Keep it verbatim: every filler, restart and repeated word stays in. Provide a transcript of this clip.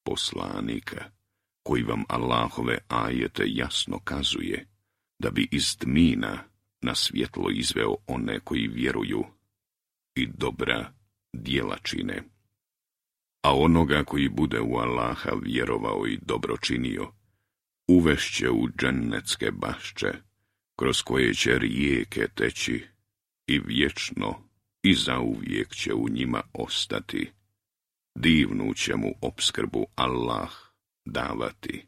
poslanika, koji vam Allahove ajete jasno kazuje, da bi iz tmina na svjetlo izveo one koji vjeruju i dobra djela čine. A onoga koji bude u Allaha vjerovao i dobro činio, uvešće u džennetske bašče, kroz koje će rijeke teći i vječno i zauvijek će u njima ostati. Divnu će mu opskrbu Allah davati.